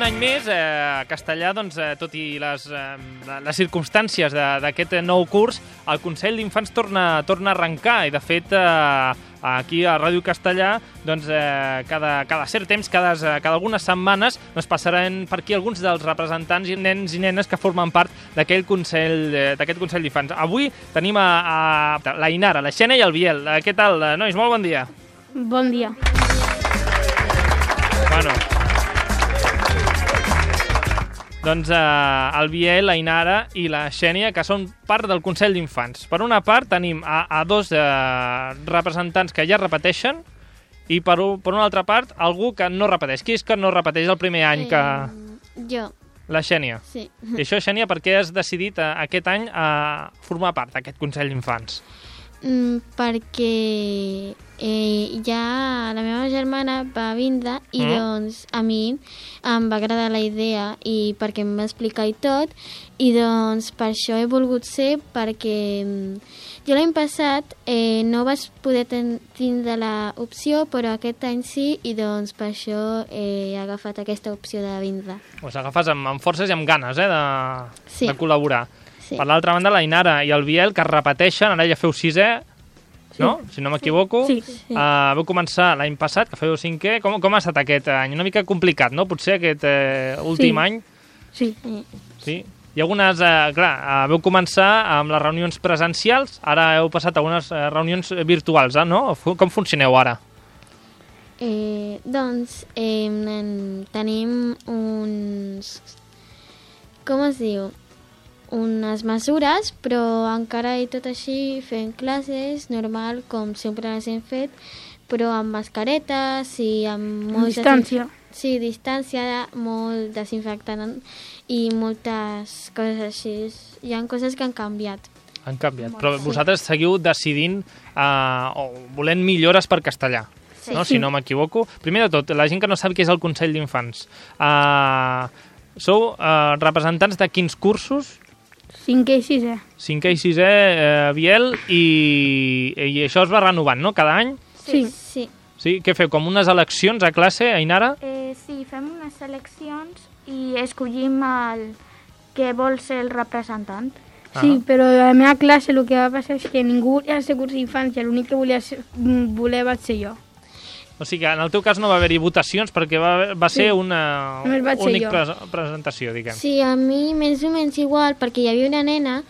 any més, Castellà, doncs, tot i les circumstàncies d'aquest nou curs, el Consell d'Infants torna a arrencar i, de fet, aquí a Ràdio Castellà, doncs, cada cert temps, cada algunes setmanes, doncs, passaran per aquí alguns dels representants i nens i nenes que formen part d'aquest Consell d'Infants. Avui tenim a la Inara, la Xènia i el Biel. Què tal, nois? Molt bon dia. Bon dia. Bueno, doncs el Biel, la Inara i la Xènia, que són part del Consell d'Infants. Per una part tenim a dos representants que ja repeteixen i per una altra part algú que no repeteix. Qui és que no repeteix el primer any? Jo. La Xènia. Sí. I això, Xènia, per què has decidit aquest any formar part d'aquest Consell d'Infants? Perquè ja la meva germana va vindre i doncs a mi em va agradar la idea i perquè em va explicar i tot, i doncs per això he volgut ser, perquè jo l'any passat no vaig poder tindre l'opció, però aquest any sí, i doncs per això he agafat aquesta opció de vindre. Pues agafes amb forces i amb ganes Sí. de col·laborar. Sí. Per l'altra banda, la Inara i el Biel, que es repeteixen, ara ja feu 6è, no? Si no m'equivoco. Sí. Vau començar l'any passat, que feu 5è. Com ha estat aquest any? Una mica complicat, no? Potser aquest últim any? Sí. Sí. Hi ha algunes... vau començar amb les reunions presencials, ara heu passat a unes reunions virtuals, no? Com funcioneu ara? Doncs tenim uns... Com es diu? Unes mesures, però encara i tot així fent classes normal, com sempre les hem fet, però amb mascaretes i amb distància. Sí, distància, molt desinfectant i moltes coses així. Hi ha coses que han canviat. Han canviat, però vosaltres seguiu decidint o volent millores per castellà, no? Si no m'equivoco. Primer de tot, la gent que no sap què és el Consell d'Infants. Sou representants de quins cursos? 5è i 6è. 5è i 6è, Biel, i això es va renovant, no?, cada any? Sí. Sí? Què feu, com unes eleccions a classe, Ainara? Sí, fem unes eleccions i escollim el que vol ser el representant. Sí, però a la meva classe el que va passar és que ningú volia ser curs d'infants i l'únic que volia vaig ser jo. O sigui que en el teu cas no va haver-hi votacions perquè va ser una única presentació, diguem. Sí, a mi més o menys igual, perquè hi havia una nena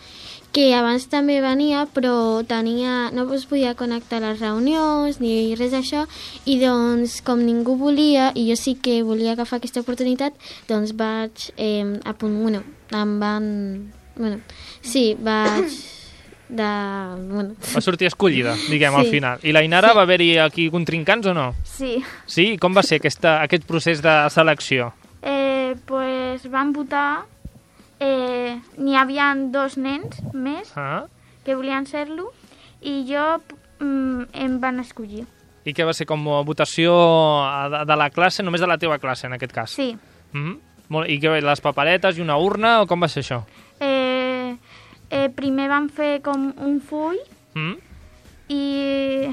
que abans també venia, però no es podia connectar a les reunions ni res d'això, i doncs com ningú volia, i jo sí que volia agafar aquesta oportunitat, doncs vaig Va sortir escollida, diguem, al final. I la Inara va haver-hi aquí contrincants o no? Sí. Sí? Com va ser aquest procés de selecció? Pues van votar, n'hi havia 2 nens més que volien ser-lo i jo em van escollir. I què va ser, com a votació de la classe, només de la teva classe, en aquest cas? Sí. I què, les paperetes i una urna, o com va ser això? Primer van fer com un full i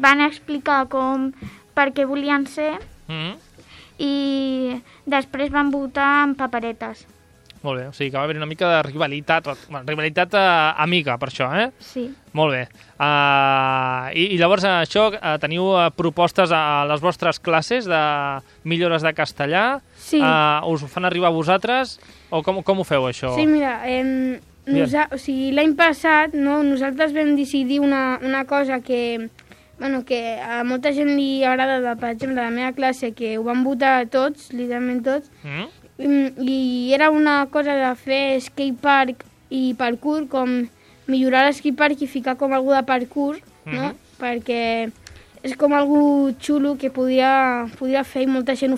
van explicar per què volien ser i després van votar amb paperetes. Molt bé, o sigui que va haver una mica de rivalitat amiga, per això, Sí. Molt bé. I llavors això, teniu propostes a les vostres classes de millores de castellà? Sí. Us ho fan arribar a vosaltres? O com ho feu, això? Sí, mira, l'any passat nosaltres vam decidir una cosa que a molta gent li agrada, per exemple, a la meva classe, que ho van votar tots, literalment tots, i era una cosa de fer skatepark i parkour, com millorar l'escatepark i ficar com algú de parkour, no? Perquè és com algú xulo que podia fer i molta gent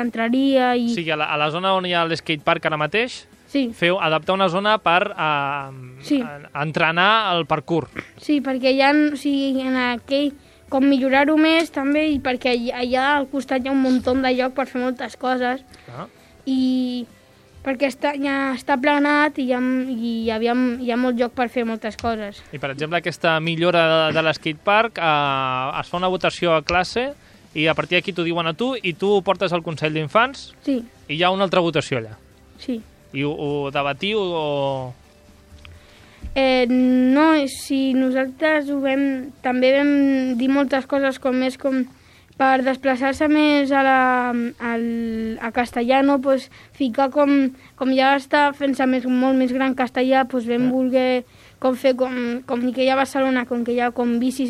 entraria. O sigui, a la zona on hi ha l'escatepark ara mateix, sí. Feu adaptar una zona per entrenar el parkour. Sí, perquè en aquell, com millorar-ho més també, i perquè allà al costat hi ha un munt de lloc per fer moltes coses. I perquè ja està planat i hi ha molt lloc per fer moltes coses. I, per exemple, aquesta millora de l'escatepark es fa una votació a classe i a partir d'aquí t'ho diuen a tu i tu ho portes al Consell d'Infants Sí, i hi ha una altra votació allà. sí. I ho debatiu o... No, si nosaltres també vam dir moltes coses com per desplaçar-se més a castellà, no? Pues, ficar com ja està fent-se molt més gran castellà, pues, vam voler fer com que hi ha a Barcelona, com que hi ha com bicis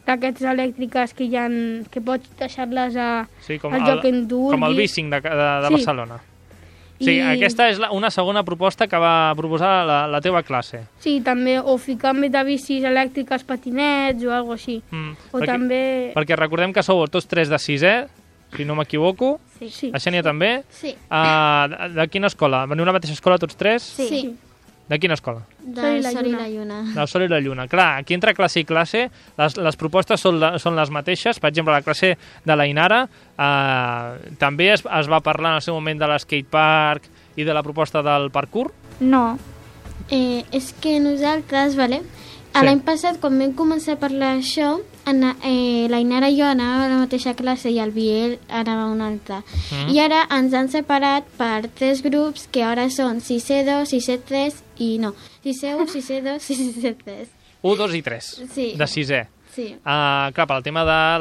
d'aquests elèctriques que pots deixar-les al lloc que tu vulguis. Com el bicing de Barcelona. Sí, aquesta és una segona proposta que va proposar la teva classe. Sí, també, o ficar més de bicis elèctriques, patinets o alguna cosa així. Perquè recordem que sou tots 3 de 6è, si no m'equivoco. Sí. La Xènia també? Sí. De quina escola? Veniu a la mateixa escola tots 3? Sí. De quina escola? Del Sol i la Lluna. Del Sol i la Lluna. Clar, aquí entre classe i classe les propostes són les mateixes. Per exemple, la classe de la Inara també es va parlar en el seu moment de l'escatepark i de la proposta del parkour? No. És que nosaltres, l'any passat, quan vam començar a parlar d'això, la Inara i jo anàvem a la mateixa classe i el Biel anava a una altra. I ara ens han separat per 3 grups que ara són 6E2, 6E3 i no, 6E1, 6E2, 6E3. 1, 2 i 3, Sí. de 6è. Sí. Clar, pel tema de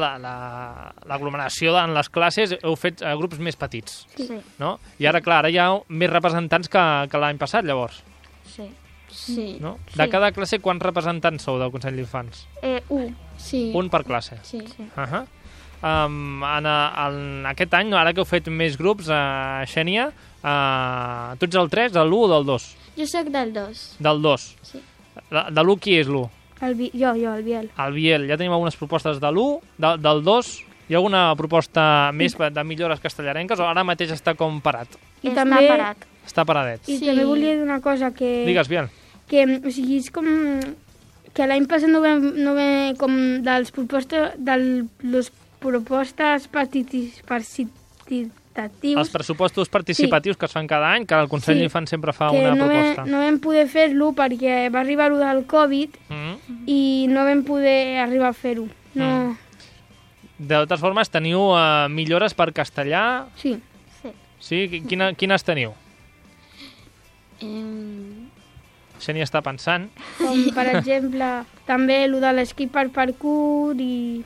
l'aglomeració en les classes heu fet grups més petits, Sí. no? I ara, clar, ara hi ha més representants que l'any passat, llavors. Sí. Sí. No? De cada classe, quants representants sou del Consell d'Infants? 1. Sí. Un per classe. Sí. En aquest any, ara que heu fet més grups, Xènia, tu ets el 3, del 1 o del 2? Jo sóc del 2. Del 2. Sí. De l'1 qui és l'1? Jo, el Biel. El Biel. Ja tenim algunes propostes de l'1, del 2. Hi ha alguna proposta més de millores castellarenques o ara mateix està com parat? Està parat. Està paradet. I també volia dir una cosa que... Digues, Biel. Que, o sigui, és com... Que l'any passat no vam com de les propostes participatives. Els pressupostos participatius que es fan cada any, que el Consell d'Infants sempre fa una proposta. No vam poder fer-lo perquè va arribar lo del Covid i no vam poder arribar a fer-ho. No. De totes formes, teniu millores per castellà? Sí. Sí? Quines teniu? Xènia està pensant. Com, per exemple, també el de l'esquí per parkour i...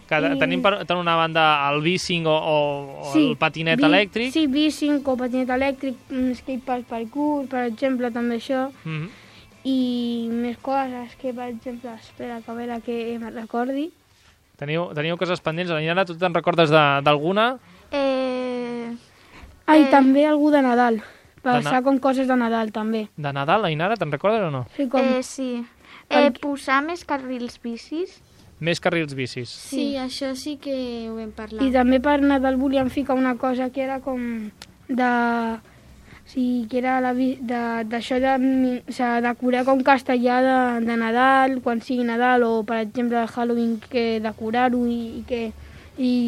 Tenim per una banda el bicing o el patinet elèctric. Sí, bicing o patinet elèctric, esquí per parkour, per exemple, també això. I més coses que, per exemple, espera, que a veure que me'n recordi. Teniu coses pendents. Ainara, tu te'n recordes d'alguna? També algú de Nadal. Passar com coses de Nadal, també. De Nadal, Ainara, te'n recordes o no? Sí, sí. Posar més carrils bicis. Més carrils bicis. Sí, això sí que ho vam parlar. I també per Nadal volíem ficar una cosa que era com de... Sí, que era d'això de decorar com castellà de Nadal, quan sigui Nadal, o per exemple de Halloween, que decorar-ho i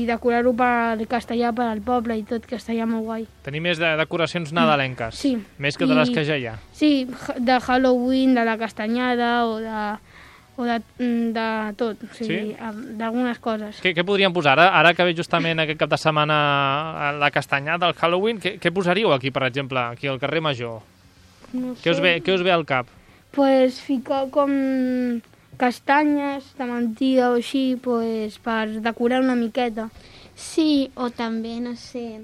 decorar-ho per castellà per al poble i tot, castellà molt guai. Tenir més decoracions nadalenques. Sí. Més que de les que ja hi ha. Sí, de Halloween, de la castanyada o de tot, o sigui, d'algunes coses. Què podríem posar? Ara que ve justament aquest cap de setmana la castanyada, el Halloween, què posaríeu aquí, per exemple, aquí al carrer Major? No sé. Què us ve al cap? Pues ficar com castanyes de mentida o així, pues, per decorar una miqueta. Sí, o també, no sé,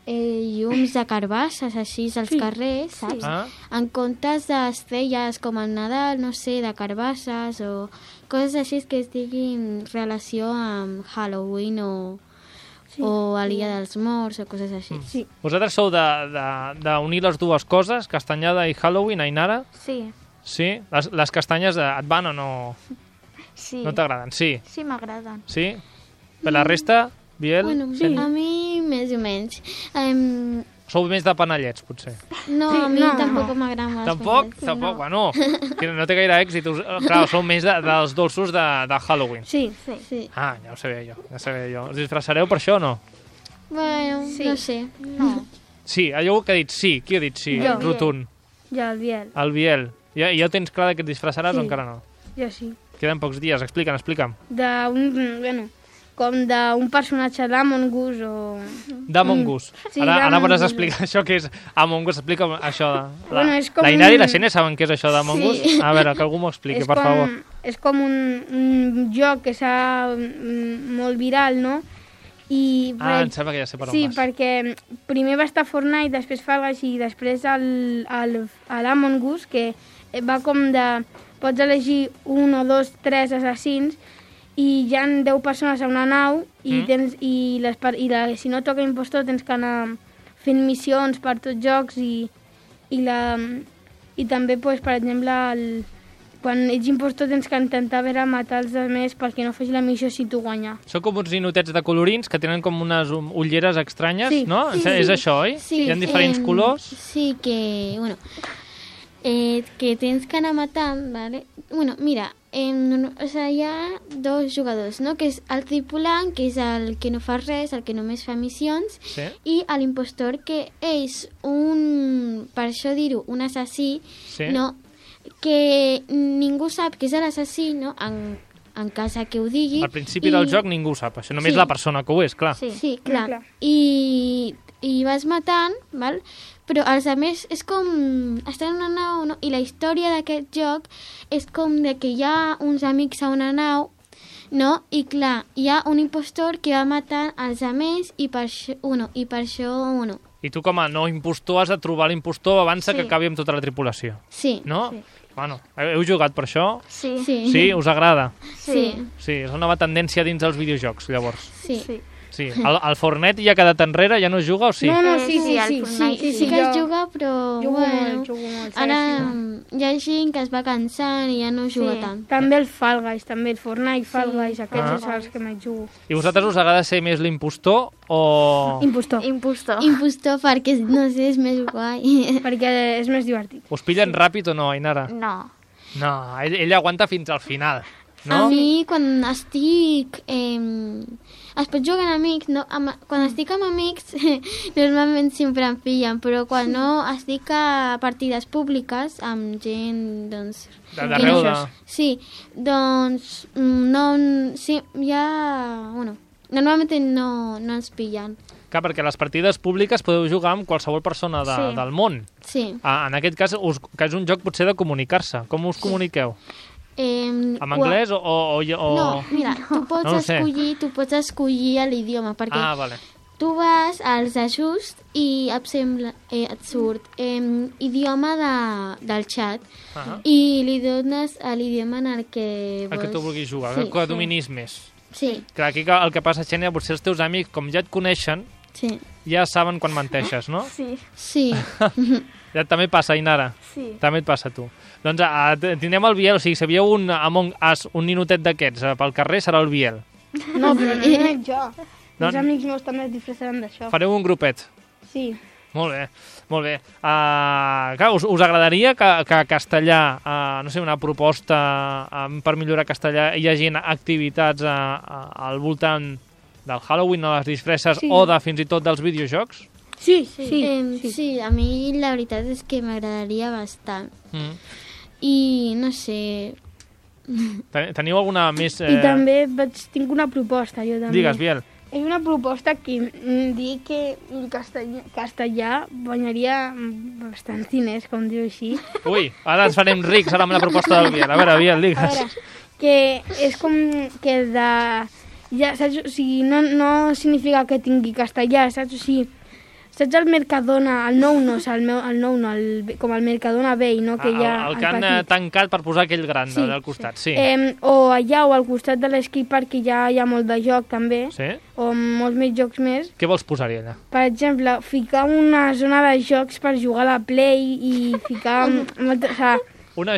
llums de carbasses així als carrers, saps? En comptes d'estrelles com el Nadal, no sé, de carbasses o coses així que tinguin relació amb Halloween o a l'Illa dels Morts o coses així. Sí. Vosaltres sou d'unir les dues coses, castanyada i Halloween, Ainara? Sí. Sí? Les castanyes et van o no? Sí. No t'agraden? Sí. Sí, m'agraden. Sí? Per la resta, Biel? Bueno, sí. A mi més o menys. Sou més de panellets, potser? No, sí, a mi tampoc m'agraden els panellets. Tampoc? Bueno, que no té gaire èxit. Clar, sou més dels dolços de Halloween. Sí. Ah, ja ho sabia jo. Us disfressareu per això o no? Bueno, no sé. No. Sí, allò que ha dit sí. Qui ha dit sí? Jo. Rotund. Ja, el Biel. El Biel. Ja tens clar que et disfressaràs o encara no? Ja sí. Queden pocs dies. Explica'm. Bueno, com d'un personatge d'Among Us o... D'Among Us. Sí, Ara d'Among pots Us. explicar això que és Among Us. Explica això. Bueno, és com la Inari i la un- Xènia saben què és això d'Among Us? A veure, que algú m'ho expliqui, per favor. És com un joc que s'ha molt viral, no? I, Em sembla que ja sé per on sí, vas. perquè primer va estar Fortnite, després Fall Guys i després l'Among Us, que va com de... Pots elegir 1 o 2, 3 assassins i hi ha 10 persones a una nau i, si no toca impostor tens que anar fent missions per tots jocs i també, pues, per exemple, quan ets impostor tens que intentar matar els altres perquè no faci la missió si tu guanyar. Són com uns ninotets de colorins que tenen com unes ulleres estranyes, Sí. no? Sí, És sí. això, oi? Sí, Hi ha diferents colors. Sí, que, bueno, que tens que anar matant, ¿vale? Bueno, mira, o sea, hi ha dos jugadors, no? Que és el tripulant, que és el que no fa res, el que només fa missions, Sí. i l'impostor, que és per això dir-ho, un assassí, Sí. no? Que ningú sap que és l'assassí, no? En cas que ho digui. Al principi del joc ningú ho sap, això només Sí. la persona que ho és, clar. Sí, clar. Clar. I vas matant, val? Però els altres és com... Estan en una nau, no? I la història d'aquest joc és com de que hi ha uns amics a una nau, no? I clar, hi ha un impostor que va matant els altres i per això, I tu com a no impostor has de trobar l'impostor abans Sí. que acabi amb tota la tripulació, Sí. no? Sí. Bueno, heu jugat per això? Sí. Sí. Sí? Us agrada? Sí. Sí, és una nova tendència dins els videojocs, llavors. Sí. Sí. Sí. El Fortnite ja ha quedat enrere, ja no es juga o sí? No, Sí, sí, al sí, Fortnite Sí, sí. sí que es jo juga, però... jugo bueno, molt. ara hi ha gent que es va cansant i ja no juga Sí. tant. També el Fall Guys, també el Fortnite, Fall Guys, aquests Ah. són els que més jugo. I vosaltres us agrada ser més l'impostor o Impostor, Impostor. Impostor perquè, no sé, és més guai. perquè és més divertit. us pillen ràpid o no, Ainara? No. No, ell aguanta fins al final, no? A mi, quan estic... es pot jugar amb amics, no? Quan estic amb amics, normalment sempre em pillen, però quan no estic a partides públiques amb gent, doncs... D'arreu de... Sí, doncs no... Sí, ja... Bueno, normalment no ens pillen. Clar, perquè a les partides públiques podeu jugar amb qualsevol persona Sí. del món. Sí. En aquest cas, que és un joc potser de comunicar-se. Com us comuniqueu? En anglès o... No, mira, tu pots, No ho sé. escollir l'idioma, perquè Ah, vale. tu vas als ajusts i et surt idioma del xat Ah, i li dones a l'idioma en el que vols. el que tu vulguis jugar, Sí, que dominis més. Sí, Clar, aquí el que passa, Xènia, potser els teus amics, com ja et coneixen, sí, ja saben quan menteixes, no? Sí. sí. Ja també passa, Ainara. Sí. També et passa a tu. Doncs tindrem el Biel, o sigui, si sabíeu un Among Us, un ninotet d'aquests pel carrer, serà el Biel. No, però no només jo. No. Els amics meus també es disfressaran d'això. Fareu un grupet. Sí. Molt bé, molt bé. Clar, us agradaria que a Castellà, no sé, una proposta per millorar castellà, hi hagi activitats al voltant del Halloween o les disfresses Sí. o fins i tot dels videojocs? Sí, sí. Sí, a mi la veritat és que m'agradaria bastant. Mm. I no sé... Teniu alguna més... I també tinc una proposta, jo també. Digues, Biel. És una proposta que dir que el castellà guanyaria bastants diners, com diu així. Ui, ara ens farem rics ara amb la proposta del Biel. A veure, Biel, A digues. veure, que és com que ja, saps? O sigui, no significa que tingui castellà, saps? O sigui, saps el Mercadona, el nou no, com el Mercadona vell, no? Que hi ha El que han petit. tancat per posar aquell gran Sí. al costat, sí. O allà o al costat de l'skatepark, que ja hi ha molt de joc també, Sí? o molts més jocs més. Què vols posar-hi allà? Per exemple, ficar una zona de jocs per jugar a la Play i ficar... molta, o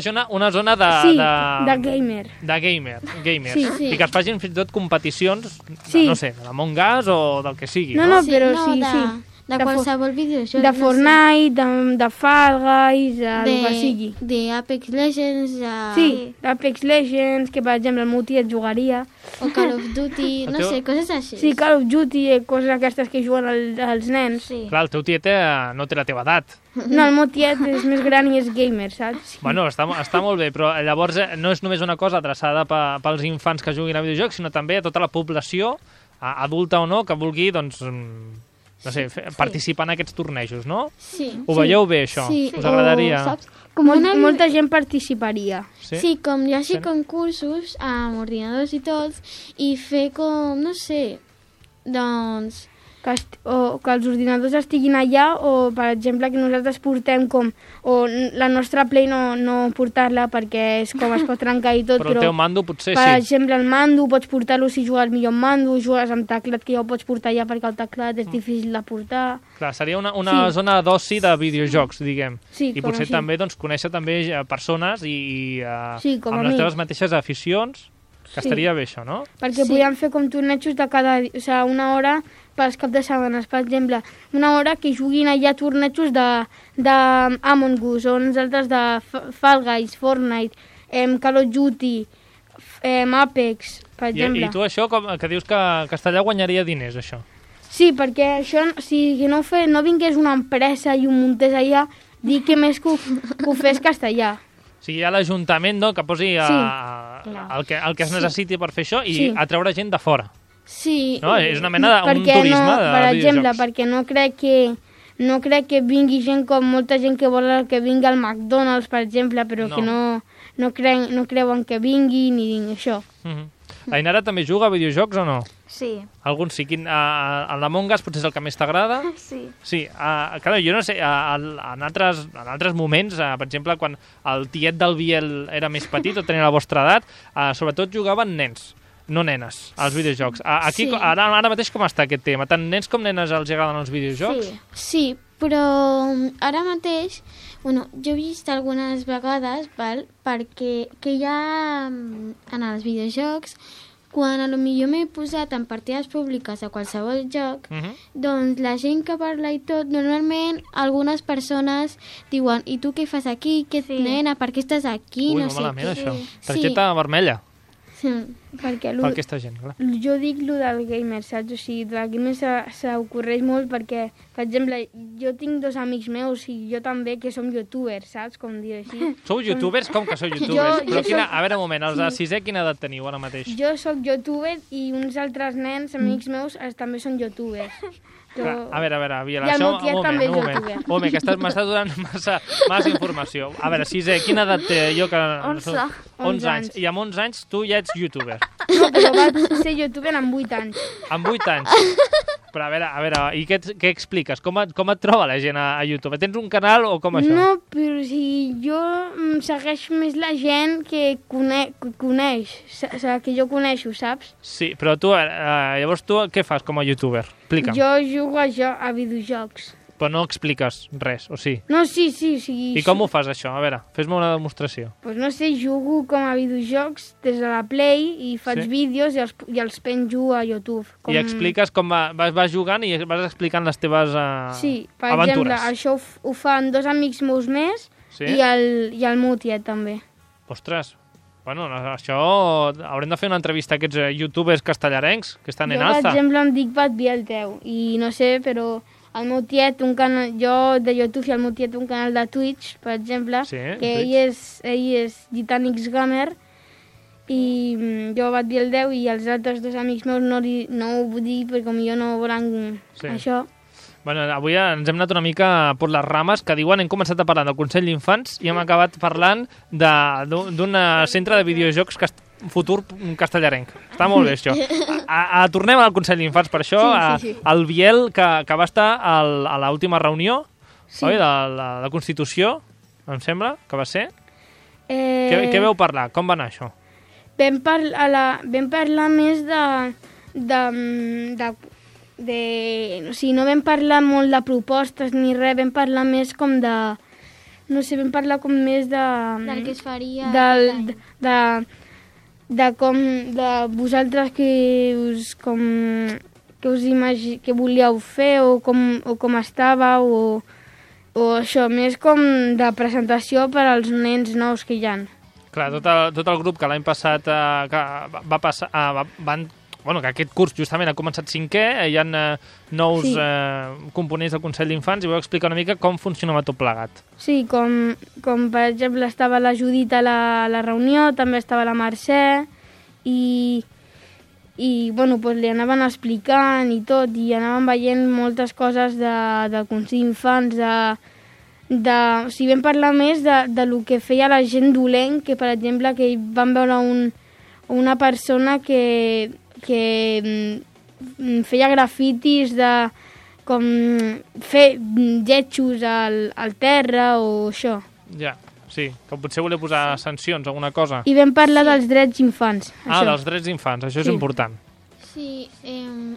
sigui, Una zona de... sí, de gamer. De gamers. Sí, sí. I que es facin fins i tot competicions, Sí. no sé, de l'Among Us o del que sigui. No, Sí, però no, sí, de, sí. De qualsevol videojoc. De Fortnite, de Fall Guys, el que sigui. De Apex Legends. Sí, d'Apex Legends, que per exemple el meu tiet jugaria. O Call of Duty, no sé, coses així. Sí, Call of Duty, coses aquestes que juguen els nens. Sí. Clar, el teu tiet no té la teva edat. No, el meu tiet és més gran i és gamer, saps? Bueno, està molt bé, però llavors no és només una cosa adreçada pels infants que juguin a videojocs, sinó també a tota la població, adulta o no, que vulgui, doncs, no sé, participar en aquests tornejos, no? Sí. Ho veieu bé, això? Sí. Us agradaria? Saps? Molta gent participaria. Sí, com hi hagi concursos amb ordinadors i tots, i fer com, no sé, doncs... Que els ordinadors estiguin allà, o per exemple que nosaltres portem o la nostra Play no portar-la perquè és com es pot trencar i tot, però el teu mando potser per sí. exemple el mando pots portar-lo si jugues millor amb mando, jugues amb teclat que ja ho pots portar allà perquè el teclat és difícil de portar. Clar, seria una zona d'oci de videojocs, diguem. Sí, i potser també doncs, conèixer també persones i amb les teves mateixes aficions, que estaria bé això, no? Perquè podíem fer com tornejos de cada... O sigui, una hora pels caps de setmanes, per exemple, una hora que juguin allà tornejos d'Among Us, o uns altres de Fall Guys, Fortnite, Call of Duty, Apex, per exemple. I tu això, que dius que Castellà guanyaria diners, això? Sí, perquè això, si no vingués una empresa i ho muntés allà, dir que més que ho fes Castellà. O sigui, hi ha l'Ajuntament, no?, que posi el que es necessiti per fer això i atreure gent de fora. Sí. No? És una mena d'un turisme de per exemple, videojocs. perquè no crec que vingui gent com molta gent que vol que vingui al McDonald's, per exemple, però que no creuen que vingui ni això. La Inara també juga a videojocs o no? Sí. Alguns sí. L'Among Us potser és el que més t'agrada? Sí. Sí. Clar, jo no sé, en altres moments, per exemple, quan el tiet del Biel era més petit o tenia la vostra edat, sobretot jugaven nens, no nenes, als videojocs. Aquí, ara mateix com està aquest tema? Tant nens com nenes els agraden els videojocs? Sí, però ara mateix, jo he vist algunes vegades, perquè que hi ha en els videojocs, quan potser m'he posat en partides públiques a qualsevol joc, doncs la gent que parla i tot, normalment algunes persones diuen, i tu què fas aquí? Nena, per què estàs aquí? Ui, no molt malament, sé. això. Targeta vermella. Perquè per aquesta gent, clar. Jo dic lo del gamer, saps? O sigui, del gamer s'ocorreix molt perquè, per exemple, jo tinc 2 amics meus i jo també, que som youtubers, saps? Com dir així. Sou youtubers? Com que sou youtubers? Però a veure, un moment, els de 6è quina edat teniu ara mateix? Jo sóc youtuber i uns altres nens, amics meus, també són youtubers. A veure, Biel, i el això... meu tiet també és youtuber. Un moment, que m'estàs donant massa informació. A veure, 6è, quina edat té jo? 11 anys. I amb 11 anys tu ja ets youtuber. No, però vaig ser youtuber amb 8 anys. Amb 8 anys? Però a veure, i què expliques? Com et troba la gent a YouTube? Tens un canal o com això? No, però si jo segueix més la gent que coneix, o sigui, que jo coneixo, saps? Sí, però tu, llavors tu què fas com a youtuber? Explica'm. Jo jugo a videojocs. Però no expliques res, o sí? No, sí. I com ho fas, això? A veure, fes-me una demostració. Doncs no sé, jugo com a videojocs des de la Play i faig vídeos i els penjo a YouTube. I expliques com vas jugant i vas explicant les teves aventures. Sí, per exemple, això ho fan 2 amics meus més i el meu tiet també. Ostres, bueno, això haurem de fer una entrevista a aquests youtubers castellarencs que estan en alza. Jo, per exemple, em dic Bat Bielteu i no sé, però... El meu tiet, jo de YouTube i el meu tiet un canal de Twitch, per exemple, que ell és Gitanix Gamer i jo Bat Bielteu i els altres 2 amics meus no ho vull dir perquè potser no volen això. Bueno, avui ens hem anat una mica per les rames que diuen, hem començat a parlar del Consell d'Infants i hem acabat parlant d'un centre de videojocs futur castellarenc. Està molt bé, això. Tornem al Consell d'Infants, per això. Sí. El Biel, que va estar a l'última reunió oi, de la Constitució, em sembla, que va ser. Què veu parlar? Com va anar això? Vam parlar més o sigui, no vam parlar molt de propostes ni res, vam parlar més com de... No sé, vam parlar com més de... Del que es faria... de com... de vosaltres que us... com... que volíeu fer o com estàveu o això, més com de presentació per als nens nous que hi ha. Clar, tot el grup que l'any passat que aquest curs justament ha començat 5è, hi ha nous components del Consell d'Infants i vau explicar una mica com funcionava tot plegat. Sí, com per exemple estava la Judit a la reunió, també estava la Mercè i li anaven explicant i tot, i anaven veient moltes coses del Consell d'Infants, o sigui, vam parlar més de lo que feia la gent dolent, que per exemple que van veure una persona que feia grafitis de com fer lletjos al terra o això. Ja, sí, que potser volia posar sancions o alguna cosa. I vam parlar dels drets infants. Ah, dels drets infants, això és important. Sí,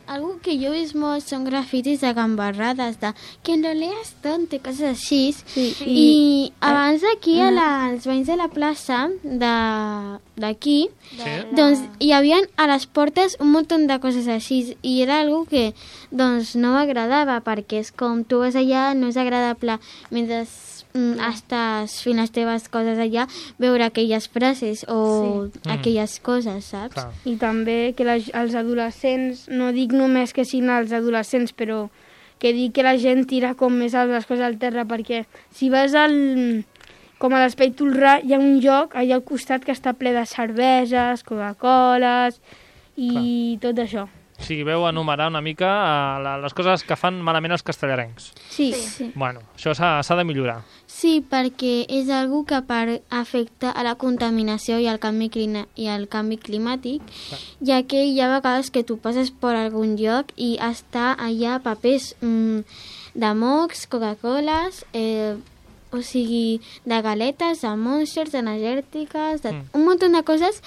algo que jo he vist molt són grafitis de gambarrades, de que no leas tonto, coses així. Sí. I abans d'aquí, als veïns de la plaça d'aquí, doncs hi havia a les portes un munt de coses així i era algo que doncs no m'agradava perquè és com tu vas allà, no és agradable mentre estàs fent les teves coses allà, veure aquelles frases o aquelles coses, saps? Clar. I també que els adolescents, no dic només que siguin els adolescents, però que dic que la gent tira com més les coses al terra, perquè si vas com a l'Espai Tolrà hi ha un lloc allà al costat que està ple de cerveses, Coca-Coles i tot això. O sigui, veu enumerar una mica les coses que fan malament els castellarencs. Sí. Bueno, això s'ha de millorar. Sí, perquè és algo que afecta a la contaminació i al canvi climàtic, ja que hi ha vegades que tu passes per algun lloc i està allà papers de mocs, Coca-Coles, o sigui, de galetes, de Monsters, energètiques, un munt de coses.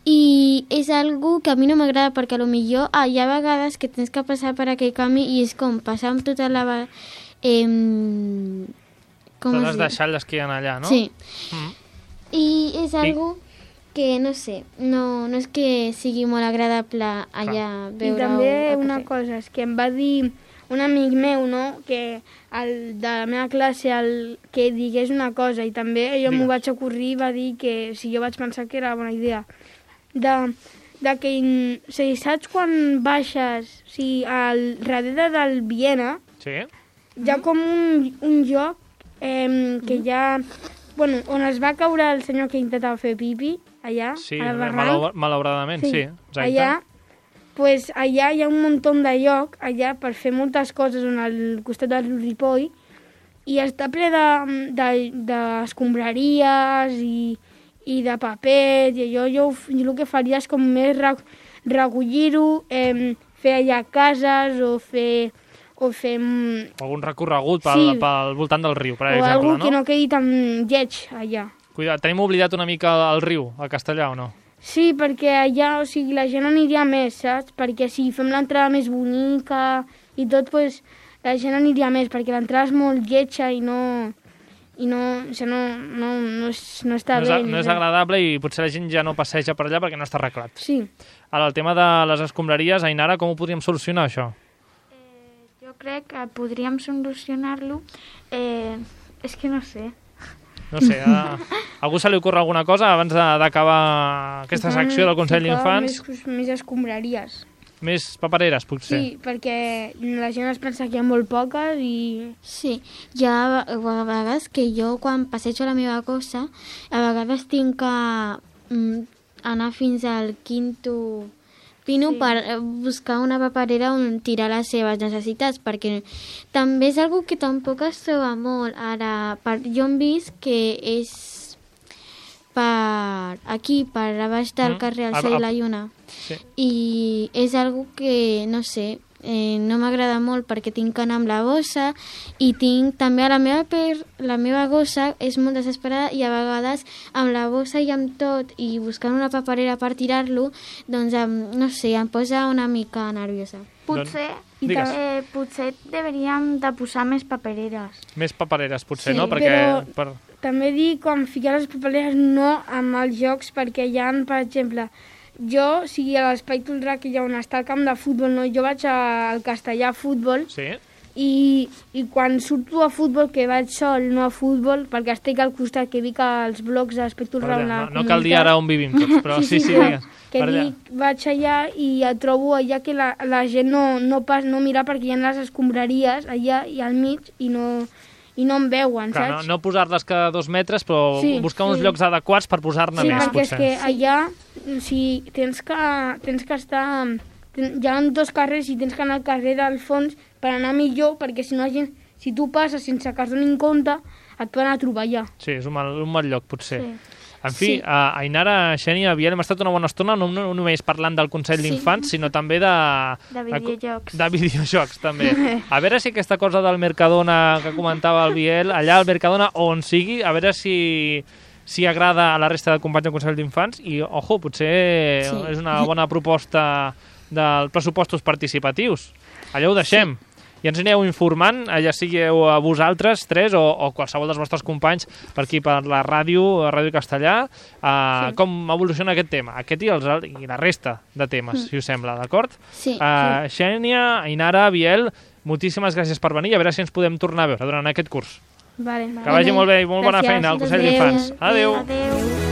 I és algo que a mi no m'agrada perquè potser hi ha vegades que tens que passar per aquell camí i és com passar amb tota la... Totes les deixalles que hi ha allà, no? Sí. I és algo que, no sé, no és que sigui molt agradable allà veure... I també una cosa, és que em va dir un amic meu, no?, que de la meva classe que digués una cosa i també jo m'ho vaig ocorrir i va dir que jo vaig pensar que era bona idea. De que, o sigui, saps quan baixes, o sigui, al darrere del Viena, hi ha com un lloc que hi ha, bueno, on es va caure el senyor que intentava fer pipi, allà, a la barranc. Malauradament, sí, exacte. Allà hi ha un munt de lloc, allà, per fer moltes coses al costat del Ripoll, i està ple d'escombraries i de paper, i jo el que faria és com més recollir-ho, fer allà cases o fer... algun recorregut pel voltant del riu, per exemple, no? O algú que no quedi tan lleig allà. Cuida't, tenim oblidat una mica el riu, a Castellà, o no? Sí, perquè allà, o sigui, la gent aniria més, saps? Perquè si fem l'entrada més bonica i tot, doncs la gent aniria més, perquè l'entrada és molt lletja i no està bé. No és agradable i potser la gent ja no passeja per allà perquè no està arreglat. Sí. Ara, el tema de les escombraries, Ainara, com ho podríem solucionar, això? Jo crec que podríem solucionar-lo. És que no sé. No sé, a algú se li ocorre alguna cosa abans d'acabar aquesta secció del Consell d'Infants? Més escombraries. Més papereres, potser? Sí, perquè la gent es pensa que hi ha molt poques i... Sí, hi ha vegades que jo quan passejo la meva cosa, a vegades tinc que anar fins al quinto pino per buscar una paperera on tirar les seves necessitats, perquè també és algo que tampoc es troba molt. Ara, jo hem vist que és per aquí, per a baix del carrer al Cel i la Lluna. Sí. I és algo que, no sé, no m'agrada molt perquè tinc que anar amb la bossa i tinc també la meva gossa és molt desesperada i a vegades amb la bossa i amb tot i buscant una paperera per tirar-lo, doncs, no sé, em posa una mica nerviosa. Potser deberíem de posar més papereres. Més papereres, potser, sí, no? Perquè, també dic com ficar les papereres no amb els jocs, perquè hi ha, per exemple, jo, a l'Espai Tolrà, que hi ha on està el camp de futbol, no? Jo vaig al Castellà a futbol, i quan surto a futbol, que vaig sol, no a futbol, perquè estic al costat, que vic als blocs de l'Espai Tolrà. No cal dir ara on vivim tots, però sí, digues. Que vaig allà i trobo allà que la gent no mira perquè hi ha les escombraries allà i al mig i no em veuen, saps? No posar-les cada 2 metres, però buscar uns llocs adequats per posar-ne més, potser. Sí, perquè és que allà tens que estar... Hi ha 2 carrers i tens que anar al carrer del fons per anar millor, perquè si no si tu passes sense que es donin compte, et poden a trobar allà. Sí, és un mal lloc, potser. En fi, Ainara, Xènia, Biel, hem estat una bona estona no només parlant del Consell d'Infants, sinó també de videojocs. De videojocs, també. A veure si aquesta cosa del Mercadona que comentava el Biel, allà al Mercadona, on sigui, a veure si agrada a la resta de companys del Consell d'Infants i, ojo, potser és una bona proposta dels pressupostos participatius. Allà ho deixem. I ens aneu informant, ja sigueu vosaltres 3 o qualsevol dels vostres companys per aquí, per la Ràdio Castellà, com evoluciona aquest tema, aquest i la resta de temes, si us sembla, d'acord? Sí. Xènia, Ainara, Biel, moltíssimes gràcies per venir i a veure si ens podem tornar a veure durant aquest curs. Vale. Que vagi molt bé i molt bona feina al Consell d'Infants. Adéu. Adéu.